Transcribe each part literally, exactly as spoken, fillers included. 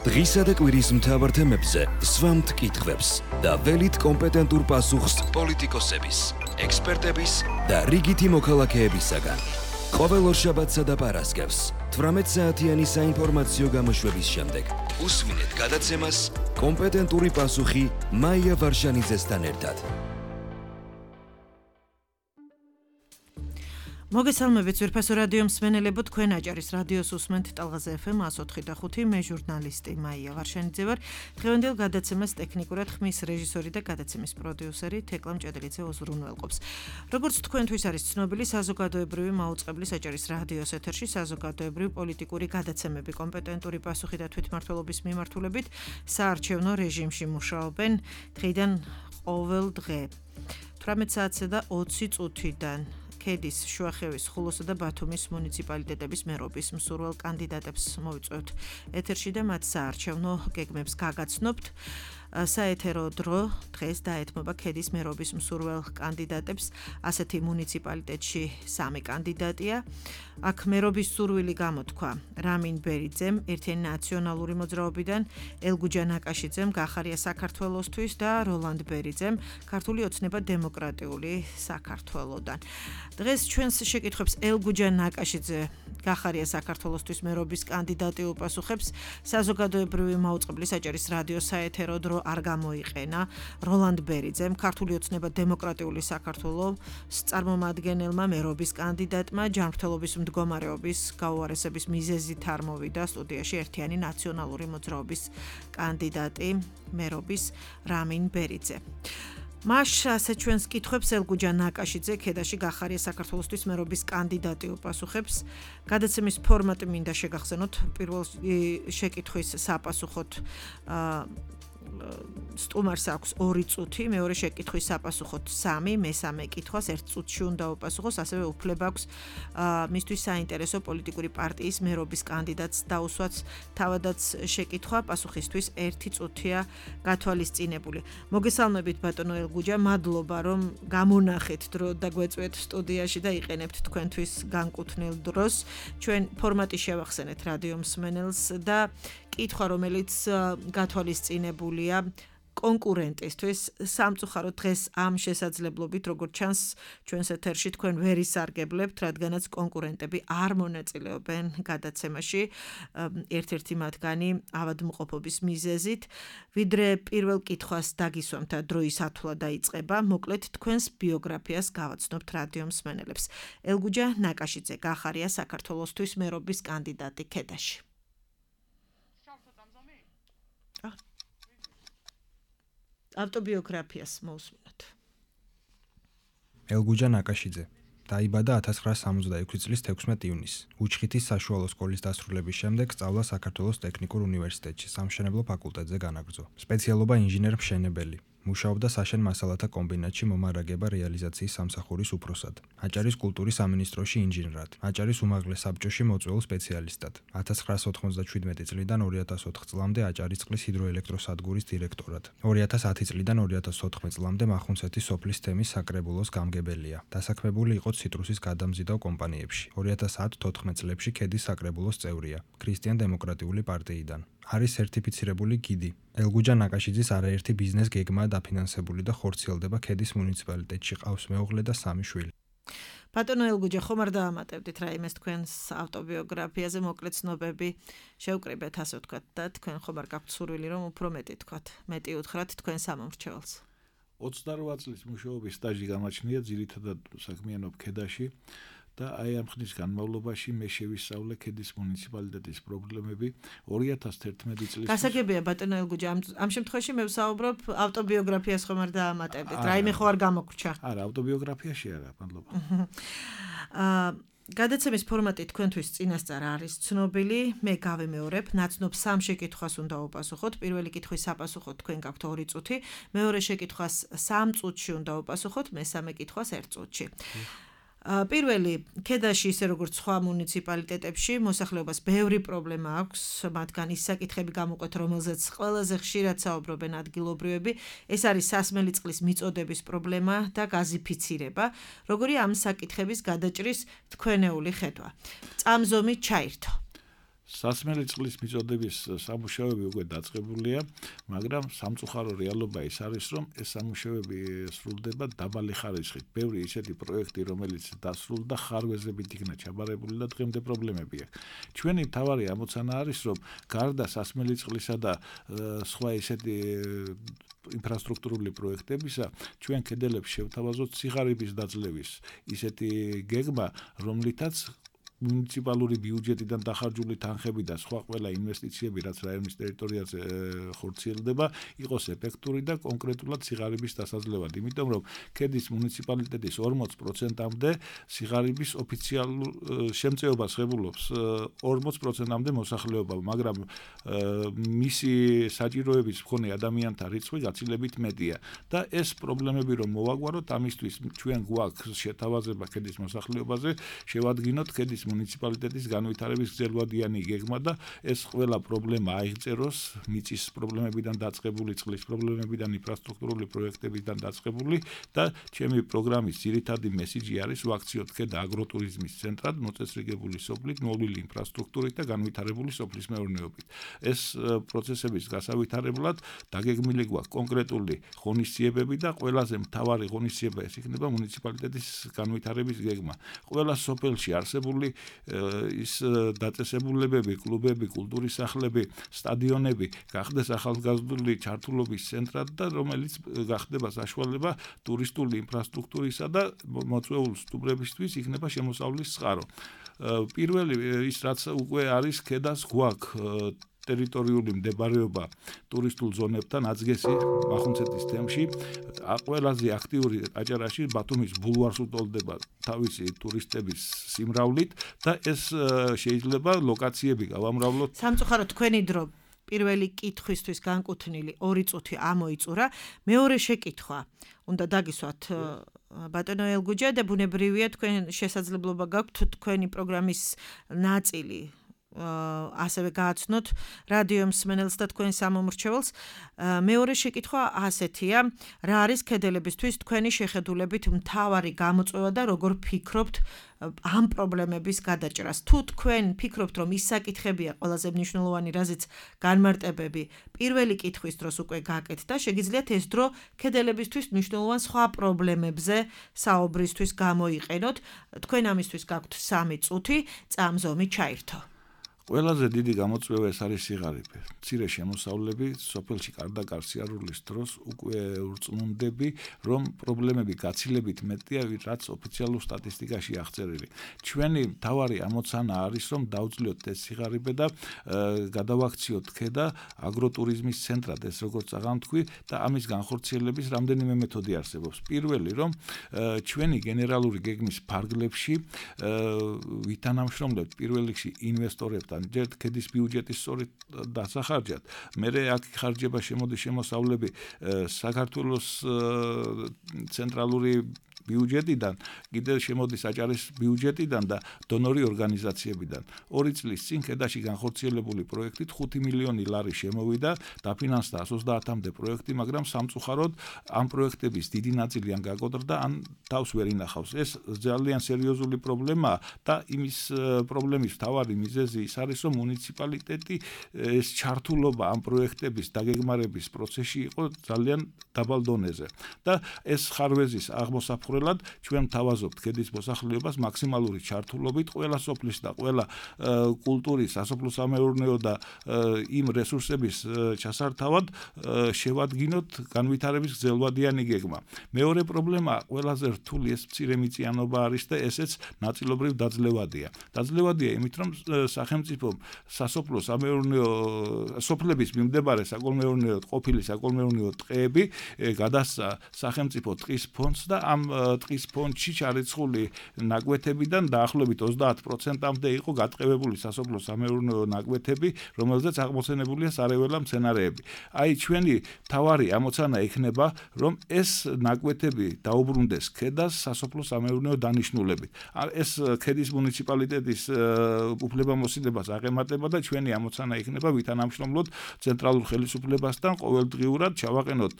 დღისა და კვირის მთავარ თემებზე სვამთ კითხვებს და ველით კომპეტენტურ პასუხს პოლიტიკოსების, ექსპერტების და რიგითი მოქალაქეებისაგან. ყოველ ორშაბათსა და პარასკევს თვრამეტ საათიანი საინფორმაციო გამოშვების შემდეგ უსმინეთ გადაცემას კომპეტენტური პასუხი მაია ვარშანიძესთან ერთად. მოგესალმებით ძვირფასო რადიო მსმენელებო, თქვენ აჭარის რადიოს უსმენთ ტალღაზე ეფ ემ εκατო ოთხი და ხუთი, მე ჟურნალისტი მაია ვარშანიძე ვარ. დღევანდელ გადაცემას ტექნიკურად ხმის რეჟისორი და გადაცემის პროდიუსერი თეკლა მჭედლიძე უზრუნველყოფს. როგორც თქვენთვის არის ცნობილი, საზოგადოებრივი მაუწყებლის აჭარის რადიოს ეთერში საზოგადოებრივი პოლიტიკური გადაცემები კომპეტენტური პასუხი და თვითმმართველობის მიმართულებით საარჩევნო რეჟიმში მუშაობენ დღიდან ყოველ დღე თვრამეტ საათსა და ოცი წუთიდან. ქედის, შუახევის, ხულოსა და ბათუმის მუნიციპალიტეტების მერობის მსურველ კანდიდატებს მოვიწვევთ ეთერში და მათ საარჩევნო გეგმებს გაგაცნობთ. საეთერო დრო დღეს დაეთმობა ქედის მერობის მსურველ კანდიდატებს. ასეთი მუნიციპალიტეტში სამი კანდიდატია. აქ მერობის სურვილი გამოთქვა რამინ ბერიძემ, ერთიანი ნაციონალური მოძრაობიდან, ელგუჯა ნაკაშიძემ, გახარია საქართველოსთვის და როლანდ ბერიძემ, ქართული ოცნება დემოკრატიული საქართველოდან. დღეს ჩვენს შეკითხვებს ელგუჯა ნაკაშიძე, გახარია საქართველოსთვის მერობის კანდიდატი უპასუხებს. საზოგადოებრივი მაუწყებლის აჭარის რადიოს საეთერო დრო არ გამოიყენა როლანდ ბერიძემ, ქართული ოცნება დემოკრატიული საქართველოს წარმომადგენელმა მერობის კანდიდატმა ჯანმრთელობის მდგომარეობის გაუარესების მიზეზით არ მოვიდა სტუდიაში ერთიანი ნაციონალური მოძრაობის კანდიდატი მერობის რამინ ბერიძე. მას ასე ჩვენს კითხვებს ელგუჯა ნაკაშიძე, ქედაში გახარია საქართველოსთვის მერობის კანდიდატი უპასუხებს. გადაცემის ფორმატი მინდა შეგახსენოთ, პირველ შეკითხვის საპასუხოდ სტუმარს აქვს ორი წუთი, მეორე შეკითხვის საპასუხოდ სამი, მესამე კითხვას ერთ წუთში უნდა უპასუხოს, ასევე უფლება აქვს მისთვის საინტერესო პოლიტიკური პარტიის მერობის კანდიდატს დაუსვაც თავადაც შეკითხვა, პასუხისთვის ერთი წუთია გათვალისწინებული. მოგესალმებით ბატონო ელგუჯა, მადლობა რომ გამონახეთ დრო და გვეწვეთ სტუდიაში და იყენებთ თქვენთვის განკუთვნილ დროს. ჩვენ ფორმატი შევახსენეთ რადიო მსმენელს და კითხვა, რომელიც გათვალისწინებულია კონკურენტისთვის. სამწუხაროდ დღეს ამ შესაძლებლობით, როგორც ჩანს, ჩვენს ეთერში თქვენ ვერ ისარგებლებთ, რადგანაც კონკურენტები არ მონაწილეობენ გადაცემაში, ერთ-ერთი მათგანი ავადმყოფობის მიზეზით. ვიდრე პირველ კითხვას დაგისვამთ და დროის ათვლა დაიწყება, მოკლედ თქვენს ბიოგრაფიას გავაცნობთ რადიო მსმენელებს. ელგუჯა ნაკაშიძე, გახარია საქართველოსთვის მერობის კანდიდატი ქედაში. ავტობიოგრაფიას მოусმინოთ. ელგუჯა ნაკაშიძე დაიბადა ათას ცხრაასი სამოცდაექვსი წლის თექვსმეტ ივნისს. უჩხითის საშუალო სკოლის დასრულების შემდეგ სწავლა საქართველოს ტექნიკურ უნივერსიტეტში, სამშენებლო ფაკულტეტზე განაგრძო. სპეციალობა ინჟინერ-მშენებელი. მუშაობდა საშენ მასალათა კომბინატში მომარაგება რეალიზაციის სამსახურის უფროსად. აჭარის კულტურის სამინისტროში ინჟინრად. აჭარის უმაღლეს საბჭოში მოწვეულ სპეციალისტად. ათას ცხრაასი ოთხმოცდაშვიდმეტი წლიდან ორი ათას ოთხ წლამდე აჭარისწყლის ჰიდროელექტროსადგურის დირექტორად. ორი ათას ათი წლიდან ორი ათას ოთხ წლამდე მახუნცეთის სოფლის თემის საკრებულოს გამგებელია. დასაქმებული იყო ციტრუსის გადამზიდავ კომპანიებში. ორი ათას ათ თოთხმეტ წლებში ქედის საკრებულოს წევრია. ქრისტიან-დემოკრატიული პარტიიდან. არის სერტიფიცირებული გიდი. ელგუჯა ნაკაშიძის არაერთი ბიზნეს გეგმაა დაფინანსებული და ხორციელდება ქედის მუნიციპალიტეტში, ყავს მეუღლე და სამი შვილი. ბატონო ელგუჯა, ხომ არ დაამატებდით რაიმეს თქვენს ავტობიოგრაფიაზე მოკლე ცნობები შევკრიბეთ, ასე ვთქვათ, და თქვენ ხომ არ გაქვთ სურვილი რომ უფრო მეტი თქვათ, მეტი უთხრათ თქვენ სამომრჩეველს? ოცდარვა წლის მუშაობის სტაჟი გამაჩნია, ძირითადად საქმიანობ ქედაში. და აი ამ ხნის განმავლობაში მე შევისწავლე ქედის მუნიციპალიტეტის პრობლემები ორი ათას თერთმეტი წლის. გასაგებია ბატონო ელგუჯა, ამ შემთხვევაში მე ვსაუბრობ ავტობიოგრაფიას ხომ არ დაამატებდით, რაიმე ხო არ გამოგრჩა? არა, ავტობიოგრაფიაში არა, მადლობა. აა გადაცემის ფორმატი თქვენთვის წინასწარ არის ცნობილი, მე გავემეორებ, ნაცნობ სამ შეკითხვას უნდა უპასუხოთ. პირველი კითხვის საპასუხოდ თქვენ გაქვთ ორი წუთი, მეორე შეკითხვას სამ წუთში უნდა უპასუხოთ, მესამე კითხვას ერთ წუთში. პირველი, ქედაში ისე როგორც სხვა მუნიციპალიტეტებში მოსახლეობას ბევრი პრობლემა აქვს, მათგან ის საკითხები გამოყვეთ, რომელზეც ყველაზე ხშირად საუბრობენ ადგილობრივები, ეს არის სასმელი წყლის მიწოდების პრობლემა და გაზიფიცირება, როგორი ამ საკითხების გადაჭრის თქვენეული ხედვა. წამზომი ჩაირთო. სასმელი წყლის მიწოდების სამუშაოები უკვე დაწყებულია, მაგრამ სამწუხარო რეალობა ის არის, რომ ეს სამუშაოები სრულდება დაბალი ხარისხით. ბევრი ისეთი პროექტი, რომელიც დასრულდა, ხარვეზებით იქნა ჩაბარებული და დღემდე პრობლემები აქვს. ჩვენი მთავარი ამოცანა არის, რომ გარდა სასმელი წყლისა და სხვა ისეთი ინფრასტრუქტურული პროექტებისა, ჩვენ კედელებს შევთავაზოთ სიღარიბის დაძლევის ისეთი გეგმა, რომლითაც მუნიციპალური ბიუჯეტიდან დახარჯული თანხები და სხვა ყველა ინვესტიციები, რაც რაიონის ტერიტორიაზე ხორციელდება, იყოს ეფექტური და კონკრეტულად სიღარიბის დასაძლევად. იმიტომ რომ ქედის მუნიციპალიტეტის ორმოც პროცენტამდე სიღარიბის ოფიციალურ შემწეობას ღებულობს ორმოც პროცენტამდე მოსახლეობა, მაგრამ მისი საჭიროების მქონე ადამიანთა რიცხვი გაცილებით მეტია და ეს პრობლემები რომ მოვაგვაროთ, ამისთვის ჩვენ გვაქვს შეთავაზება ქედის მოსახლეობაზე, შევადგინოთ ქედის მუნიციპალიტეტის განვითარების გრძელვადიანი გეგმა და ეს ყველა პრობლემა აიღწეროს მიწის პრობლემებიდან დაწყებული, წყლის პრობლემებიდან, ინფრასტრუქტურული პროექტებიდან დაწყებული და ჩემი პროგრამის ძირითადი მესიჯი არის ვაქციოთ ქედა აგროტურიზმის ცენტრად, მოწესრიგებული სოფლით, მოვლილი ინფრასტრუქტურით და განვითარებული სოფლის მეურნეობით. ეს პროცესების გასავითარებლად დაგეგმილი გვაქვს კონკრეტული ღონისძიებები და ყველაზე მთავარი ღონისძიება ეს იქნება მუნიციპალიტეტის განვითარების გეგმა. ყველა სოფელში არსებული ის დაწესებულებები, კლუბები, კულტურის სახლები, სტადიონები გახდეს ახალგაზრდული ჩართულობის ცენტრად და რომელიც გახდება საშუალება ტურისტული ინფრასტრუქტურისა და მოწვეულ სტუმრებისთვის იქნება შემოსავლის წყარო. პირველი ის რაც უკვე არის ქედას გვაქვს ტერიტორიული მდებარეობა ტურისტულ ზონებთან აწგესი მახუნცეთის თემში ყველაზე აქტიური აჭარაში ბათუმის ბულვარს უტოლდება თავისი ტურისტების სიმრავლით და ეს შეიძლება ლოკაციები გავამრავლოთ. სამწუხაროდ თქვენი დრო პირველი კითხვისთვის განკუთვნილი ორი წუთი ამოიწურა. მეორე შეკითხვა უნდა დაგისვათ ბატონო ელგუჯა და ბუნებრივია თქვენ შესაძლებლობა გაქვთ თქვენი პროგრამის ნაწილი ასევე გააცნოთ რადიო მსმენელს და თქვენ სამომრჩეველს. მეორე შეკითხვა ასეთია, რა არის ქედებისთვის თქვენი შეხედულებით მთავარი გამოწვევა და როგორ ფიქრობთ ამ პრობლემების გადაჭრას? თუ თქვენ ფიქრობთ, რომ ის საკითხებია ყველაზე მნიშვნელოვანი, რაზეც განმარტებები პირველი კითხვის დროს უკვე გაკეთდა, შეგიძლიათ ეს დრო ქედებისთვის მნიშვნელოვან სხვა პრობლემებზე საუბრისთვის გამოიყენოთ. თქვენ ამისთვის გაქვთ სამი წუთი, წამზომი ჩაირთო. ყველაზე დიდი გამოწვევა ეს არის სიღარიბე. მცირე შემოსავლები სოფელში კარდაკარ სიარულის დროს უკვე ურწმუნდები, რომ პრობლემები გაცილებით მეტია, რაც ოფიციალურ სტატისტიკაში აღწერილი. ჩვენი მთავარი ამოცანა არის, რომ დავძლიოთ ეს სიღარიბე და გადავაქციოთ ქედა აგროტურიზმის ცენტრად, ეს როგორც აღამთქვი და ამის განხორციელების რამდენიმე მეთოდი არსებობს. პირველი, რომ ჩვენი გენერალური გეგმის ფარგლებში ვითანამშრომლებთ პირველ რიგში ინვესტორებთან ჯერ ქედის ბიუჯეტის სწორედ დასახარჯად. მერე აქ ხარჯება შემოდის შემოსავლები საქართველოს ცენტრალური ბიუჯეტიდან, კიდევ შემოდის აჭარის ბიუჯეტიდან და დონორი ორგანიზაციებიდან. ორი წლის წინ ქედაში განხორციელებული პროექტით ხუთი მილიონი ლარი შემოვიდა, დაფინანსდა εκατს ოცდაათამდე პროექტი, მაგრამ სამწუხაროდ ამ პროექტების დიდი ნაწილი ან გაკოტრდა, ან თავს ვერ ინახავს. ეს ძალიან სერიოზული პრობლემაა და იმის პრობლემის მთავარი მიზეზი ის არის, რომ მუნიციპალიტეტი ეს ჩართულობა ამ პროექტების დაგეგმარების პროცესში იყო ძალიან დაბალ დონეზე და ეს ხარვეზის აღმოსაფხვრელად ჩვენ თავაზობთ ქედის მოსახლეობას მაქსიმალური ჩართულობით ყველა სოფლის და ყველა კულტურის, სასოფლო-სამეურნეო და იმ რესურსების ჩასართავად შევადგინოთ განვითარების გრძელვადიანი გეგმა. მეორე პრობლემა ყველაზე რთული ეს მცირე მიწიანობა არის და ესეც ნაწილობრივ დაძლევადია. დაძლევადია იმით, რომ სახელმწიფომ სასოფლო-სამეურნეო სოფლების მიმდებარე საკოლმეურნეო ყოფილი საკოლმეურნეო ტყეები გადასცა სახელმწიფო ტყის ფონდს და ამ ტყის ფონდში ჩარიცხული ნაკვეთებიდან დაახლოებით ოცდაათ პროცენტამდე იყო გატყევებული სასოფლო-სამეურნეო ნაკვეთები, რომელზეც აღმოცენებულია სარეველა მცენარეები. აი ჩვენი თავარი ამოცანა იქნება, რომ ეს ნაკვეთები დაუბრუნდეს ქედას სასოფლო-სამეურნეო დანიშნულებით. ეს ქედის მუნიციპალიტეტის უფლებამოსილებას აღემატება და ჩვენი ამოცანა იქნება ვითანამშრომლოთ ცენტრალურ ხელისუფლებასთან ყოველდღიურად ჩავაყენოთ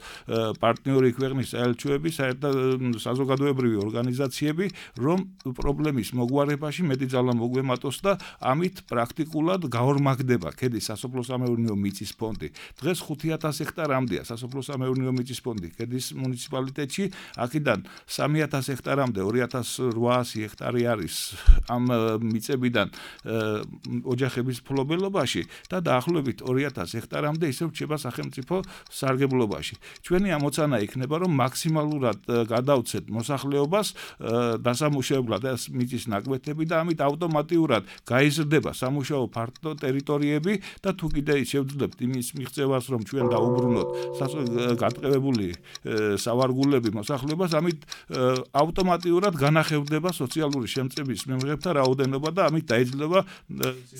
პარტნიორი ქვეყნის საელჩოები, საერთო საზოგადოებრივი საზოგადოებრივი ორგანიზაციები, რომ პრობლემის მოგვარებაში მეტი ძალა მოგვემატოს და ამით პრაქტიკულად გაორმაგდება ქედის სასოფლო-სამეურნეო მიწის ფონდი. დღეს ხუთი ათას ჰექტარამდეა სასოფლო-სამეურნეო მიწის ფონდი ქედის მუნიციპალიტეტში, აქედან სამი ათას ჰექტარამდე ორი ათას ოთხასი ჰექტარი არის ამ მიწებიდან ოჯახების ფლობელობაში და დაახლოებით ორი ათას ჰექტარამდე ისევ რჩება სახელმწიფო სარგებლობაში. ჩვენი ამოცანა იქნება, რომ მაქსიმალურად გადავცეთ მოსახლეობას დასამუშავებლად ეს მიწის ნაკვეთები და ამით ავტომატურად გაიზრდება სამუშაო ფართო ტერიტორიები და თუ კიდე შევძლებთ იმის მიღწევას, რომ ჩვენ დაუბრუნოთ გატყევებული სავარგულები მოსახლეობას, ამით ავტომატურად განახევდება სოციალური შემწების მიღებთა რაოდენობა და ამით დაიძლება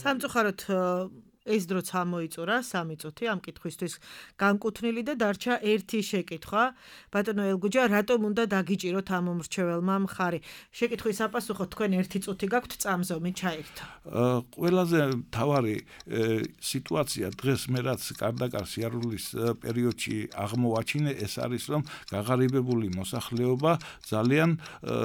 სამწუხაროდ ეს დროც ამოიწურა სამი წუთი ამ კითხვისთვის განკუთვნილი და დარჩა ერთი შეკითხვა. ბატონო ელგუჯა, რატომ უნდა დაგიჭიროთ ამ მომრჩეველმა მხარი? შეკითხვის საპასუხოდ თქვენ ერთი წუთი გაქვთ წამზომი ჩაერთო. ყველაზე მთავარი სიტუაცია დღეს მე რაც კარდაკარ სიარულის პერიოდში აღმოვაჩინე, ეს არის, რომ გაღარიბებული მოსახლეობა ძალიან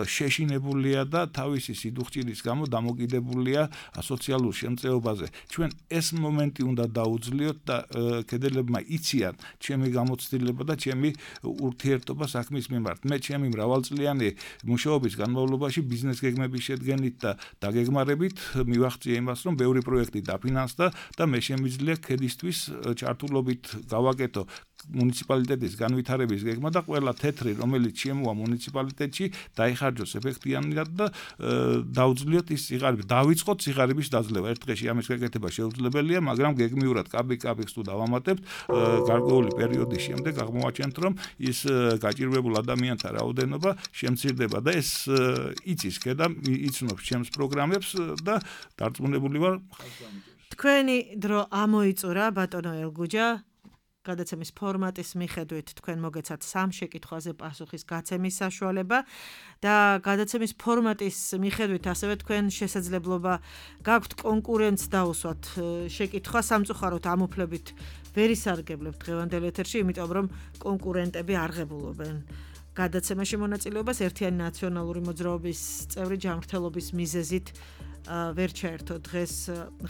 შეშინებულია და თავისი სიდუხჭირის გამო დამოკიდებულია სოციალურ შემწეობაზე. ჩვენ ეს მომენტი უნდა დაუძლიოთ და კედელებმა იციან ჩემი გამოცდილება და ჩემი ურთიერთობა საქმის მიმართ. მე ჩემი მრავალწლიანი მუშაობის განმავლობაში ბიზნეს გეგმების შედგენით და დაგეგმარებით მივახციე იმას, რომ ბევრი პროექტი დაფინანსდა და მე შემიძლია ქედისთვის ჩართულობით გავაკეთო მუნიციპალიტეტის განვითარების გეგმა და ყველა თეთრი, რომელიც შემოვა მუნიციპალიტეტში, დაიხარჯოს ეფექტიანად და დაუძლიოთ ის სიღარიბე, დავიწყოთ სიღარიბის დაძლევა. ერთ დღეში ამის გაკეთება შეუძლებელია, მაგრამ გეგმიურად კაბიკ-კაბიკს თუ დავამატებთ, გარკვეული პერიოდის შემდეგ აღმოვაჩენთ, რომ ის გაჭირვებულ ადამიანთა რაოდენობა შემცირდება და ეს იცის და იცნობს ჩემს პროგრამებს და დარწმუნებული ვარ ხალხს. თქვენი დრო ამოიწურა, ბატონო ელგუჯა. გადაცემის ფორმატის მიხედვით თქვენ მოგეცათ სამ შეკითხვაზე პასუხის გაცემის საშუალება და გადაცემის ფორმატის მიხედვით ასევე თქვენ შესაძლებლობა გაქვთ კონკურენტს დაუსვათ შეკითხვა სამწუხაროდ ამ უფლებით ვერ ისარგებლებთ დღევანდელ ეთერში, იმიტომ რომ კონკურენტები არღებულობენ გადაცემაში მონაწილეობას ერთიანი ნაციონალური მოძრაობის წევრი ჯანმრთელობის მიზეზით ვერ ჩაერთო დღეს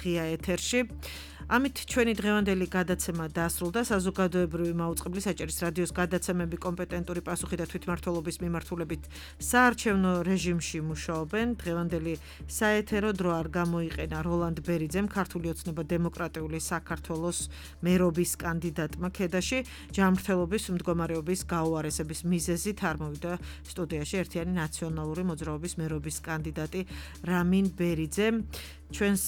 ღია ეთერში. ამით ჩვენი დღევანდელი გადაცემა დასრულდა. საზოგადოებრივი მაუწყებლის საჭირის რადიოს გადაცემები კომპეტენტური პასუხი და თვითმმართველობის მიმართულებით საარჩევნო რეჟიმში მუშაობენ. დღევანდელი საეთერო დრო არ გამოიყენა როლანდ ბერიძემ, ქართული ოცნება დემოკრატიული საქართველოს მერობის კანდიდატმა ქედაში, ჯანმრთელობის მდგომარეობის გაუარესების მიზეზით არ მოვიდა სტუდიაში ერთიანი ნაციონალური მოძრაობის მერობის კანდიდატი რამინ ბერიძე. ჩვენს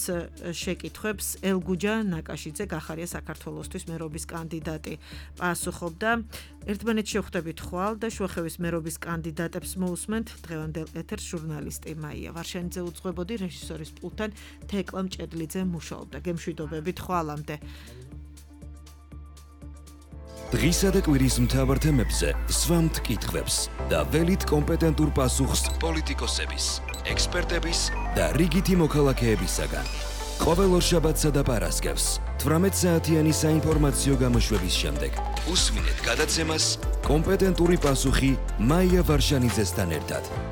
შეკითხვებს ელგუჯა ნაკაშიძე გახარია საქართველოსთვის მერობის კანდიდატი პასუხობდა. ერთმანეთში ხვდებით ხვალ და შუახევის მერობის კანდიდატებს მოусმენთ დღევანდელ ეთერს ჟურნალისტი მაია ვარშენიძე უძღვებოდი, რეჟისორის პულტთან თეკლა მჭედლიძე მუშაობდა. გემშვიდობებით ხვალამდე. დღისა და კვირის მთავარ თემებზე სვამთ კითხვებს და ველით კომპეტენტურ პასუხს პოლიტიკოსების, ექსპერტების და რიგითი მოქალაქეებისაგან. ყოველ ორშაბათსა და პარასკევს თვრამეტ საათიანი საინფორმაციო გამოშვების შემდეგ უსმინეთ გადაცემას კომპეტენტური პასუხი მაია ვარშანიძესთან ერთად.